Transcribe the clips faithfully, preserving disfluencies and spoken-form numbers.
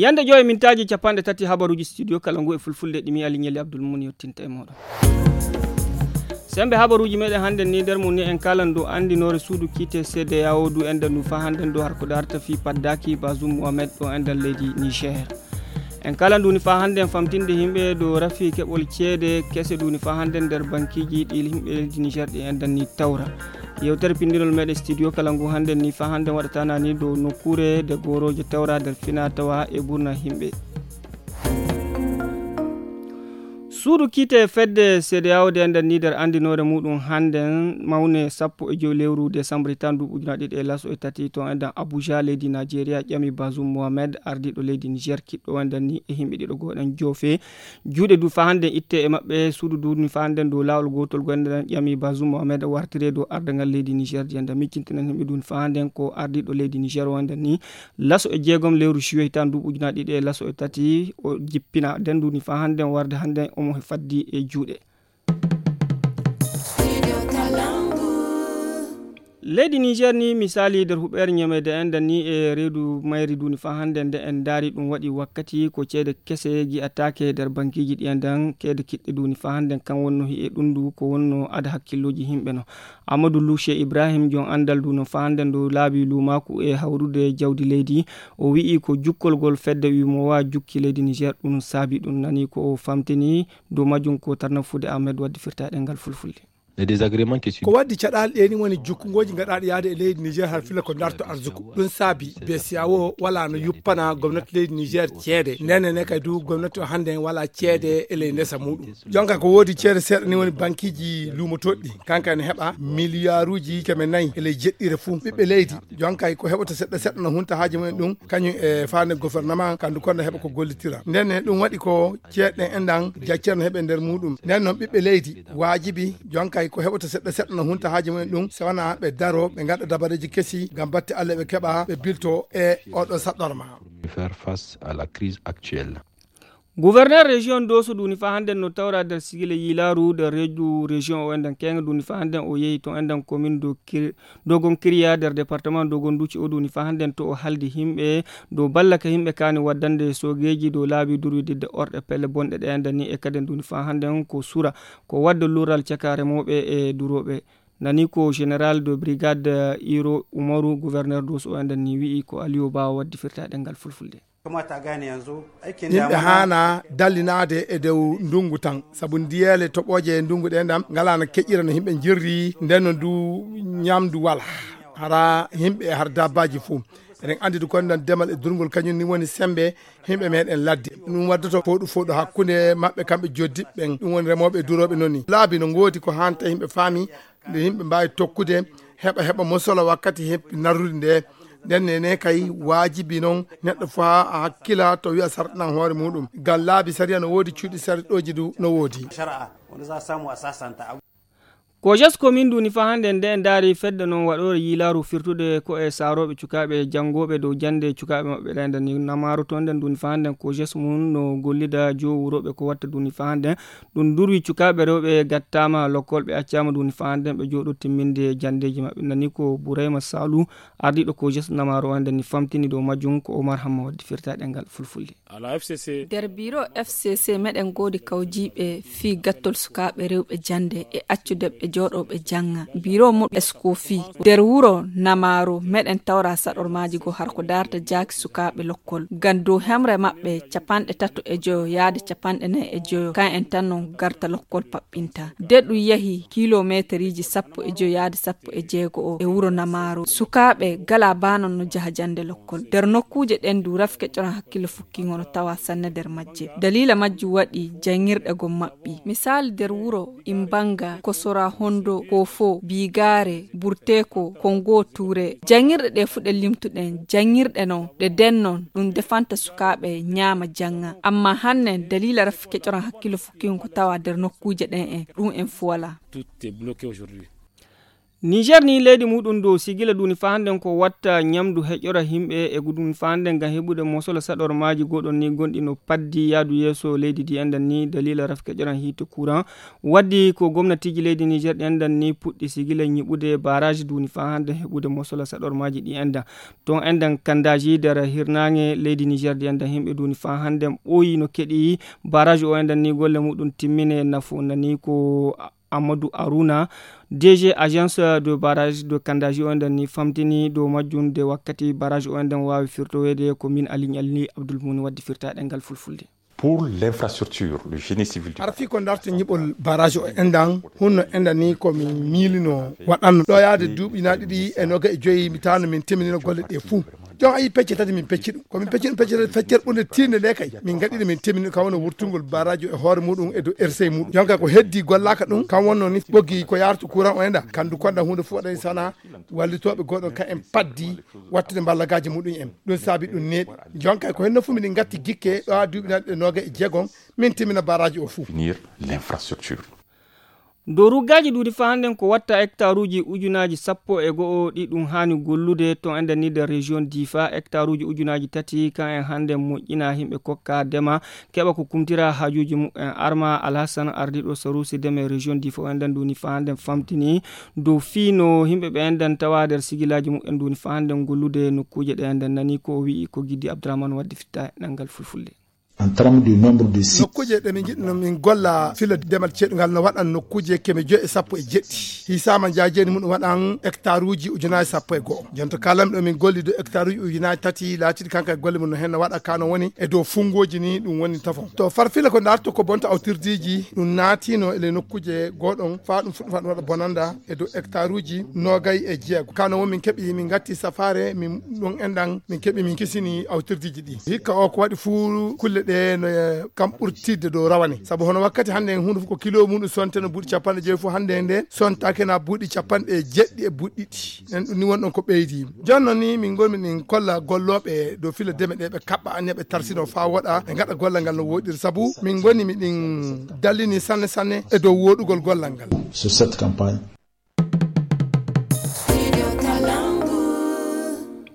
Yande joyi mintaaji capanɗe tati habaruuji studio kala ngu e fulfulde ɗi mi Aliñeli Abdul Mum yottinta e mooɗon. Sembe habaruuji meɗen hannde ni nder mum ni en kalan dow anndinoore suudu kiite C D A O du enɗan ɗum faa hannden dow harko darta fii paddaaki Bazoum Mohamed ɗo enɗan leydi Niger. En kalan ɗum ni faa hannden famtinde yimɓe dow rafi keɓol ceede kese ɗum ni faa hannden nder bankiiji ɗi yimɓe leydi Niger ɗi enɗan ni tawra. Yewtere pinndinol meɗen studio kala ngu hannden ni faa hannden waɗata na ni dow nokkuure de goorooje tawra nder fina tawa e ɓurna yimɓe. Suudu kiite fedde C D A O de enɗan ni nder anndinoore muɗum hannden mawne sappo e joy lewru desambri tan duuɓi ujunaaji ɗiɗi e laso e tati to enɗan Abuja leydi Nigeria ƴami Bazoum Mohamed ardiiɗo leydi Niger kiɗɗo enɗan ni e yimɓe ɗiɗo gooɗan joofe juuɗe du faa hannden itte e maɓɓe suudu du ni faa hannden dow laawol gootol go enɗan ƴami Bazoum Mohamed wartire dow ardangal leydi Niger di enɗan miccintinan yimɓe du ni faa hannden ko ardiiɗo leydi Niger o enɗan ni laso e jeegom lewru juillet hitaan duuɓi ujunaaji ɗiɗi e laso e tati o jippina nden du ni faa hannden warde hannden omo faddi e juuɗe. Leydi Niger ni misaali nder huɓeere ñameede enɗan ni e reedu mayri du ni faa hannden nde en ndaari ɗum waɗi wakkati ko ceede kese gi'ataake nder bankiiji ɗi enɗan keede kiɗɗe du ni faa hannden kan wonno hi'e ɗum du ko wonno ada hakkillooji yimɓe no. Amadou Louche Ibrahim jon anndal du no faa hannden dow laabi luumaaku e hawrude jawdi leydi. O wi'i ko jukkolgol fedde wimowa jukki leydi Niger ɗum saabi ɗum nani ko o famtini dow majjum ko tarnafude Ahmed waddi firtaaɗe ngal fulfulde. Ko waddi caɗaali ɗe ni woni jukkungooji gaɗaaɗi yaade e leydi Niger har fila ko darto arzuku ɗum saabi B C A O wala no yuppana gomnati leydi Niger ceede ndene ne kay du gomnati o hannde wala ceede e ley ndesa muɗum. Jonka ko woodi ceede seeɗa ni woni bankiiji luumotoɗɗi kanka ne heɓa miliyaaruuji keme nayi e ley jeɗɗire fuu ɓiɓɓe leydi. Jonka ko heɓata seɗɗa seɗɗa no hunta haaji mumen ɗum kañum e faande gouvernement kandu konda heɓa ko gollitira nden ne ɗum waɗi ko ceeɗe ɗen enɗan jaccere no heɓe nder muɗum nden noon ɓiɓɓe leydi waajibi jonka ko heɓata seɗɗa seɗɗa no hunta haaji mumen ɗum so wona ɓe daro ɓe ngaɗa dabareeji kesi ngam batte Allah ɓe keɓa ɓe bilto e oɗo saɗɗorma. Faire face à la crise actuelle. Gouverneur région Dosso duni fa hannde no tawra nder sigile yilaaru nder reedu région o enɗan kenga duni fa hannde o yehi to enɗan commune do Kir-, Dogon Kiriya nder département Dogon Duci o duni fa hannde to o haldi himɓe do balla ka himɓe kani waddande sogeji do laabi durwididde orɗe pelle bonɗe ɗe enɗan ni e kaden duni fa hannde ko sura ko wadda lural caka remooɓe e durooɓe. Nani ko général de brigade Iro Umaru, gouverneur Dosso o enɗan ni wi'i ko Aliou Ba waddi firtaɗe ngal fulfulde. Yimɓe haana dallinaade e dow ndungu tan, sabu ndiyeele toɓooje e ndungu ɗen ɗam ngalaano keƴira no yimɓe njirri, nden no ndu ñamdu wala. Hara yimɓe e har dabbaaji fuu. Eɗen anndi du kon ɗan demal e durngol kañum ni woni sembe yimɓe meɗen ladde. Ɗum waddoto fooɗu fooɗu hakkunde maɓɓe kamɓe joddiɓe ɓen. Ɗum woni remooɓe e durooɓe noon ni. Laabi no ngoodi ko hanta yimɓe faami nde yimɓe mbaawi tokkude heɓa heɓa mosola wakkati heɓ narrude nde. Nden ne ne kay waajibi noon neɗɗo faa a hakkila to wi'a sarɗinan hoore muɗum. Ngam laabi sariya no woodi cuuɗi sarɗooji du no woodi. Ko jes komin duni fa hannde nde en ndaari fedde noon waɗoore yiilaaru firtude ko e saarooɓe cukaaɓe janngooɓe dow jannde cukaaɓe maɓɓe ɗen ɗan ni namaaro toon ɗen duni fa hannde ko jes mum no gollida joo wurooɓe ko watta duni fa hannde. Ɗum durwi cukaaɓe rewɓe gattaama lokkol ɓe accaama duni fa hannde ɓe jooɗo timminde janndeeji maɓɓe nani ko Burayma Salu ardiiɗo ko jes namaaro o hannde ni famtini dow majjum ko Omar Hamma waddi firtaɗe ngal fulfulde. Nder biro F C C meɗen ngoodi kawjiiɓe fii gattol sukaaɓe rewɓe jannde e accude ɓe jooɗo ɓe jannga. Biro mum Eskofi nder wuro Namaaro meɗen tawra saɗormaaji go har ko darta jaaki sukaaɓe lokkol. Ngam dow hemre maɓɓe capanɗe tato e joyo yaade capanɗe nayi e joyo kan en tan non garta lokkol paɓɓinta. De ɗum yahi kilomeeteriji sappo e joyo yaade sappo e jeego o e wuro Namaaro. Sukaaɓe gala baanon no jaha jannde lokkol. Nder nokkuuje ɗen du rafi keƴoran hakkille fukkingo no tawa sanne nder majje. Daliila majjum waɗi janngirɗe gom maɓɓi. Misaali nder wuro Imbanga, Kosora Hondo, Kofo, Bigaare, Burteko, Kongo Ture. Janngirɗe ɗe fuu ɗe limtuɗen, janngirɗe non, ɗe dennon, ɗum defanta sukaaɓe ñaama jannga. Amma hannen daliila rafi keƴoran hakkille fukkingo ko tawa nder nokkuuje ɗen en, ɗum en fuu walaa. Niger ni leydi muɗum dow sigila duni fa hannden ko watta ñamdu heƴora himɓe e gudun fa hannden ngam heɓude mosola saɗormaaji goɗon ni gonɗi no paddi yaadu yeeso leydi ndi enɗan ni dalila rafke ƴoran hiite courant. Waddi ko gomnatiji leydi Niger ɗi enɗan ni puɗɗi sigila ñiɓude baraji duni fa hannden heɓude mosola saɗormaaji ɗi enɗan. Ton enɗan kandaji nder hirnaange leydi Niger ɗi enɗan himɓe duni fa hannden ɓooyi no keɗi baraji o enɗan ni golle muɗum timmine nafo nani ko Amadou Arouna, D G agence de barrage de Kandaji o nden ni famtini dow majjum de wakkati barrage o nden waawi firtoweede ko min Aliñ Alli Abdoul Muni waddi firta ɗengal fulfulde. Pour l'infrastructure, le génie civil du Arfi ko darta ñiɓol barrage o endan hunno endan ni ko min miilino waɗanno ɗo yaade duuɓi na ɗiɗi e noga e joyi mi tawno min timminino golle ɗe fuu. Jon ayi pecce tati min pecci ɗum ko min pecci ɗum pecce tati feccere ɓurde tiinde nde kay min gaɗiɗo min temmini kam woni wurtugol baraji e hoore muɗum e dow ersey muɗum jon kay ko heddi gollaka ɗum kam wonno ni ɓoggi ko yartu courant o enda kandu konda hunde fof waɗani sana wallitoɓe goɗon ka en paddi wattude mballagaji muɗum en ɗum saabi ɗum neeɓi jon kay ko henno fof miɗen gatti gikke ɗo ha duuɓi nanɗe noga e jeegom min timmina baraji o fof. Finir l'infrastructure. Dow ruggaaji ɗuuɗi faa hannden ko watta hektaruuji ujunaaji sappo e go'o ɗi ɗum haani gollude to enɗan ni nder région Difa hektaruuji ujunaaji tati kan en hannden moƴƴina himɓe kokka dema keɓa ko kumtira haajuuji mumen arma alhassan ardiiɗo saruusi deme région Difa o enɗan ɗum ni faa hannden famtini dow fii no himɓe ɓe enɗan tawa nder sigilaaji mumen ɗum ni faa hannden gollude nokkuuje ɗe enɗan nani ko o wi'i ko giddi abdourahmane waddi fitta e ɗanngal fulfulde. En termes du nombre de sites. Nokkuuje ɗe min njiɗno min golla fila demal ceeɗungal no waɗan nokkuuje keme joyi e sappo e jeɗɗi hisaama njaajeni mum waɗan hectare uji ujunaaji sappo e go'o jonto kalam ɗo min golli dow hectare uji ujunaaji tati laatiɗi kanka e golle mum no hen no waɗa kano woni e dow funngooji ni ɗum woni tafon to farfila ko darto ko bonta awtirdiiji ɗum naatino e le nokkuuje goɗon faa ɗum fuɗɗo faɗum waɗa bonanda e dow hectare uji noogay e jeego kano won min keɓi min gatti safaare min ɗon enɗan min keɓi min kisini awtirdiiji ɗi hikka o ko waɗi fuu kulle ɗe no kam ɓurtidde dow rawane sabu hono wakkati hannde en huunde fof ko kilo muɗum sonte no buuɗi capanɗe joyi fof hannde nde sontake na buuɗi capanɗe jeɗɗi e buuɗi ɗiɗi en ɗum ni wonɗon ko ɓeydi jonno ni min ngolmi min kolla gollooɓe dow fila deme ɗe ɓe kaɓɓa anniya ɓe tarsino faa woɗa ɓe ngaɗa gollal ngal no woɗiri sabu min ngoni miɗin dallini sanne sanne e dow woɗugol gollal ngal. Sur cette campagne.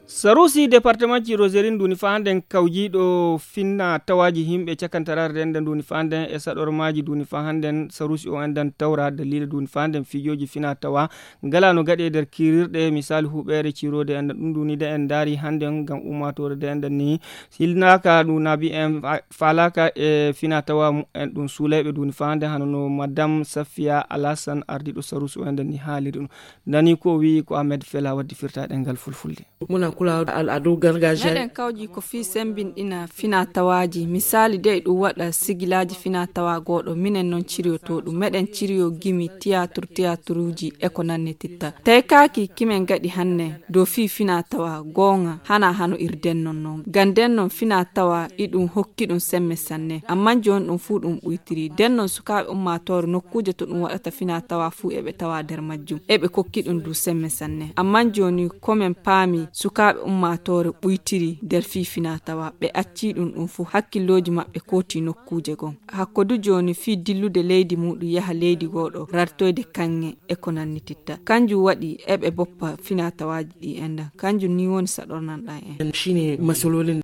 Sarusi département ci roserin nduni fa handen kawjiɗo finna tawaji himɓe cakantarare renda nduni fa handen e saɗormaji nduni fa handen sarusi o endan tawra dalila nduni fa handen fijoji fina tawa ngala no gaɗe nder kirirɗe misali huɓere cirode endan ɗum nduni de en daari handen ngam ummatore de endan ni hilnaka ɗum nabi en falaka e fina tawa mumen ɗum suulayɓe nduni fa handen hano no madame safiya alasan ardiɗo sarusi o endan ni haaliri ɗum nani ko o wi'i ko ahmed fela waddi firta ɗengal fulfulde. Muna kula al'adu gargajiya. Meɗen kawji ko fii sembinɗina fina tawaaji. Misaali dey ɗum waɗa sigilaaji fina tawa gooɗo minen noon ciriyoto ɗum meɗen ciriyo gimi tiyaatur tiyaaturji e ko nannititta. Tawi kaaki kimen gaɗi hanne dow fii fina tawa goonga hana hano irden noon noon. Ganden noon fina tawa iɗum hokki ɗum semme sanne. Amman jooni ɗum fuu ɗum ɓuytiri. Den noon sukaaɓe ummaatoore nokkuuje to ɗum waɗata fina tawa fuu eɓe tawa nder majjum. Eɓe kokki ɗum du semme sanne. Amman jooni ko men paami sukaaɓe ummaatoore ɓuytiri nder fii fina tawa ɓe accii ɗum ɗum fuu hakkillooji maɓɓe kooti nokkuuje gon. Hakko du jooni fii dillude leydi muuɗum yaha leydi gooɗo rartoyde kaŋŋe e ko nannititta. Kanjum waɗi eɓe boppa fina tawaaji ɗi enɗan. Kanjum ni woni saɗornan ɗan en. Shine masalolin.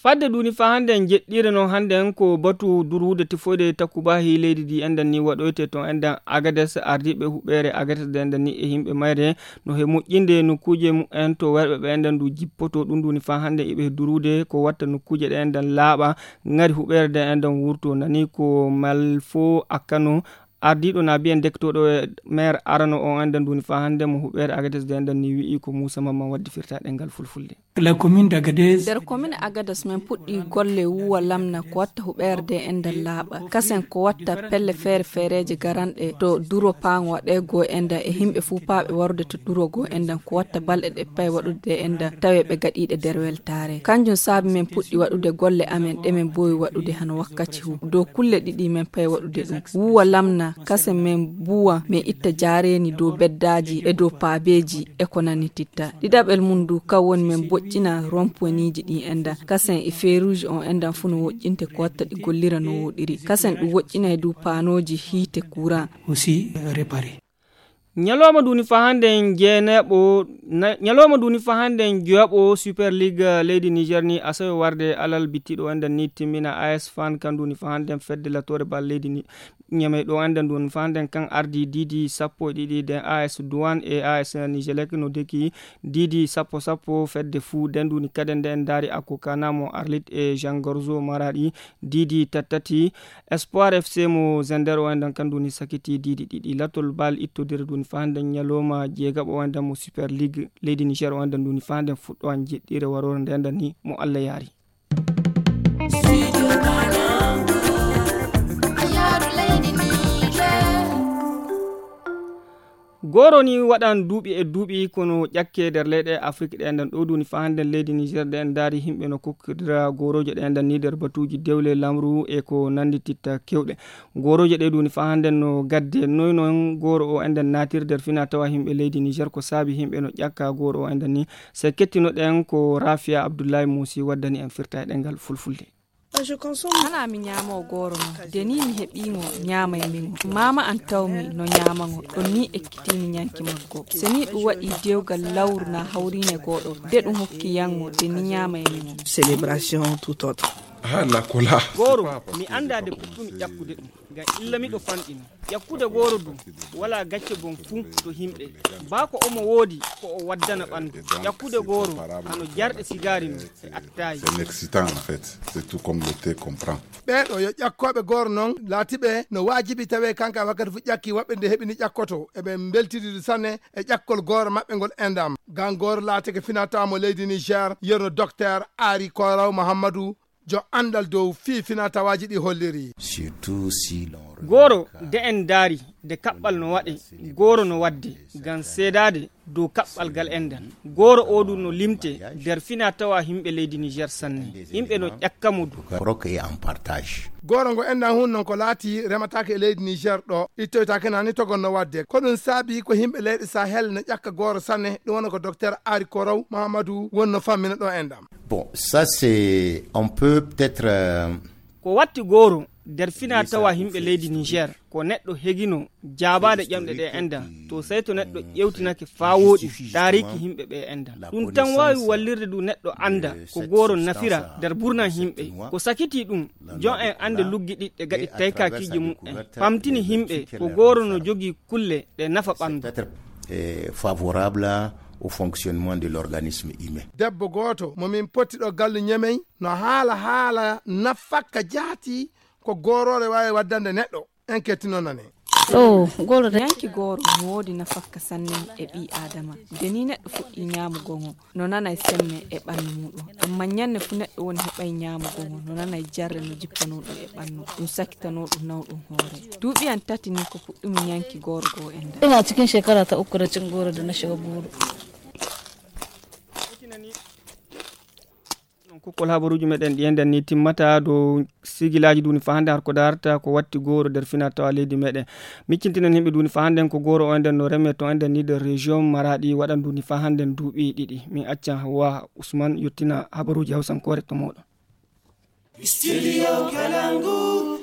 Fadde duni fa hande en jeɗɗire noon hande en ko batu durude tifoyde takubahi leydi ndi enɗan ni waɗoyte toon enɗan agades ardiiɓe huɓeere agades de enɗan ni e yimɓe mayre no he moƴƴinde nokkuuje mumen to werɓe ɓe enɗan ndu jippoto ɗum duni fa hande iɓe durude ko watta nokkuuje ɗe enɗan laaɓa ngari huɓeere de enɗan wurto nani ko malfo akkano ardiiɗo na biyen dektooɗo e maire arano on enɗan duni fa hande mo huɓeere agades de enɗan ni wi'i ko muusa mamman waddi firta ɗengal fulfulde. La commune d'Agadez. Nder commune agadas men puɗɗi golle wuwa lamna ko watta huɓerde e nder laaɓa kasen ko watta pelle feere feereeje garanɗe to duro paango waɗe goo e nder e yimɓe fuu paaɓe warude to duro goo e nder ko watta balɗe ɗe pay waɗude e nder tawe ɓe gaɗiiɗe nder weltaare kanjum saabi men puɗɗi waɗude golle amen ɗe men mboowi waɗude hano wakkati hu dow kulle ɗiɗi men pay waɗude ɗum wuwa lamna kasen men buwa men itta jaareeni dow beddaaji e dow paabeeji e ko nanititta ɗiɗaɓel mum du kan woni men boƴƴina rompoiniji ɗin endan kasen e feruji on endan fu no woƴƴinte ko watta ɗi gollira no woɗiri kasen ɗum woƴƴinay du paanoji hiite courant aussi réparé. Ñalawma ndu ni fa hannden jeeneeɓo, na-, ñalawma ndu ni fa hannden joyaɓo Super League, eh, leydi Niger ni asawe warde alal bittiɗo enden ni timmina A S Fan kan ndu ni fa hannden fedde latoore bal leydi ni Ñamey ɗo enden ndu ni fa hannden kan ardi diidi sappo e ɗiɗi den A S Douane e A S Nigelec no deki diidi sappo sappo fedde fuu den ndu ni kaden nden ndaari Akokana mo Arlit e Jean Gorzo Maradi diidi tattati Espoir F C mo Zender o enden kan ndu ni sakiti diidi ɗiɗi latol bal ittodire ndu ni fa hannden ñalawma jeegaɓo o enden mo Super League leydi Niger o enden ndu ni fa hannden fuɗɗo an jeɗɗire waroore nden nden ni mo Allah yaari. Gooro ni waɗan duuɓi e duuɓi kono ƴakke nder leyɗe Afrik ɗe nden ɗo duni fa hannden leydi Niger ɗe en ndaari yimɓe no kokkodira goorooje ɗe nden ni nder batuuji dewle lamru e ko nanndititta kewɗe. Goorooje ɗe duni fa hannden no gadde noy non gooro o enden naatir nder fina tawa yimɓe leydi Niger ko saabi yimɓe no ƴakka gooro o enden ni. Se kettinoɗen ko Rafia Abdullahi Musi waddani en firta e ɗengal fulfulde. Hana mi ñaamo gooro no. De ni mi heɓi ngo, ñaamay mi ngo. Maama an tawmi no ñaama ngo. Ɗon ni ekkitimi ñanki maggo. Se ni ɗum waɗi dewgal lawru na hawrine goɗo. De ɗum hokki yan ngo, de ni ñaamay mi ngo. Célébration tout autre. Ah, la cola. Gooro, mi anda de puttumi ƴakkude ɗum. Ngam illa miɗo fanɗi non. Ƴakkude gooro du, walaa gacce gom fuu to himɓe. Baa ko omo woodi ko o waddana ɓanndu. Ƴakkude gooro, hano jarɗe sigaari non e attaye. C'est excitant, en fait. C'est tout comme le thé qu'on prend. Ɓee ɗo yo ƴakkooɓe gooro non, laati ɓe no waajibi tawee kanka wakkati fuu ƴakki waɗɓe nde heɓi ni ƴakkoto. Eɓe mbeltidiri sanne e ƴakkol gooro maɓɓe ngol endam. Ngam gooro laatake finatawa mo leydi Niger, yerno Docteur Ari Koraw Muhammadu, jo anndal dow fii finatawaaji ɗi holliri. Surtout si l'on Gooro, de en ndaari, de kaɓɓal no waɗe, gooro no waɗde, ngam seedaade dow kaɓɓal gal enɗan. Gooro oo du no limte nder finatawa yimɓe leydi Niger sanne. Yimɓe no ƴakka mo du. Croque et en partage. Gooro ngo enɗan hun non ko laati remataake e leydi Niger ɗo, ittoytaake nani togon no waɗde. Ko ɗum saabi ko yimɓe leyɗe Sahel no ƴakka gooro sanne, ɗum wona ko Docteur Ari Koraw Mahamadou wonno fammina ɗo enɗam. Bon, ça c'est, on peut peut-être, euh, Ko watti gooro nder fina tawa yimɓe leydi Niger, ko neɗɗo hegino jaabaade ƴamɗe ɗe enɗan, to sey to neɗɗo ƴewtinake faa wooɗi taariiki yimɓe ɓe enɗan. Ɗum tan waawi wallirde du neɗɗo annda ko gooro nafira nder burnan yimɓe. Ko sakiti ɗum, jon en annde luggiɗiɗɗe gaɗi taykaakiiji mum en, pamtini yimɓe ko gooro no jogii kulle ɗe nafa ɓanndu. Peut-être, euh, favorable au fonctionnement de l'organisme humain. Debbo gooto mo min potti ɗo gallu Ñemey no haala haala nafakka jaati ko gooroore waawi waddande neɗɗo. En kettino nane. Ɗo gooro de. Ñanki gooro no woodi nafakka sanne e ɓii Aadama. De ni neɗɗo fuɗɗi ñaamugo ngo, no nanay semme e ɓannu muuɗum. Amma ñande fu neɗɗo woni heɓay ñaamugo ngo, no nanay jarre no jippanoo ɗum e ɓannu. Ɗum sakitanoo ɗum nawɗum hoore. Duuɓi an tati ni ko puɗɗumi ñanki gooro goo enɗan. Ina cikin shekara ta uku da cin goro da na shiga goro. Ɗon kokkol habaruuji meɗen ɗi enɗan ni timmata dow sigilaaji duni fa hannden har ko darata ko watti gooro nder fina tawa leydi meɗen. Miccintinen yimɓe duni fa hannden ko gooro o enɗan no reme to enɗan ni nder région Maradi waɗan duni fa hannden duuɓi ɗiɗi. Min accan Hawwa Usman yottina habaruuji Hawsankoore to mooɗon. Studio Kalangu.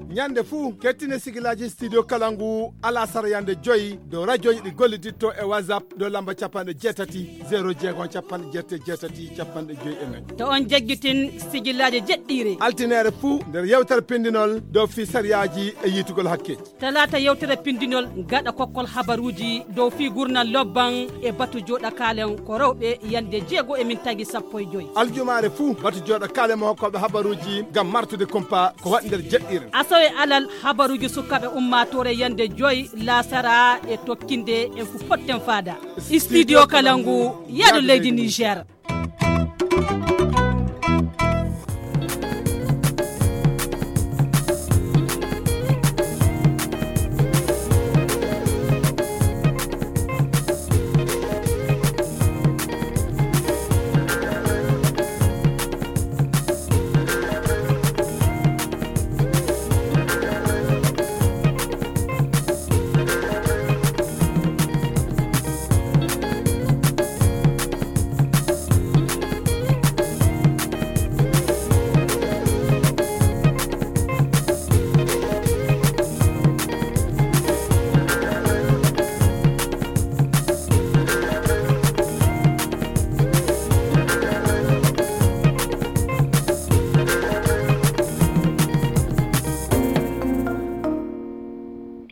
Ñande fuu, kettine sigilaaji Studio Kalangu alasara yande joyi dow radiooji ɗi golliditto e WhatsApp dow lamba capanɗe jeetati, zéro jeegom, capanɗe jeetati, jeetati, capanɗe joyi e nayi. To on jaggitin sigilaaji jeɗɗiire. Altineere fuu nder yewtere pindinol dow fii sariyaaji e yiitugol hakke. Talaata yewtere pindinol gaɗa kokkol habaruuji dow fii gurnal lobban e batu jooɗa kaalen ko rewɓe yande jeego e min tagi sappo e joyi. Aljumaare fuu batu jooɗa kaalen mo hokkooɓe habaruuji ngam martude kumpa ko waɗi nder jeɗɗiire. Asawe alal habaruuji sukaaɓe ummaatoore yande joyi laasara e tokkinde en fu potten faada. Studio Kalangu, yaadu leydi Niger.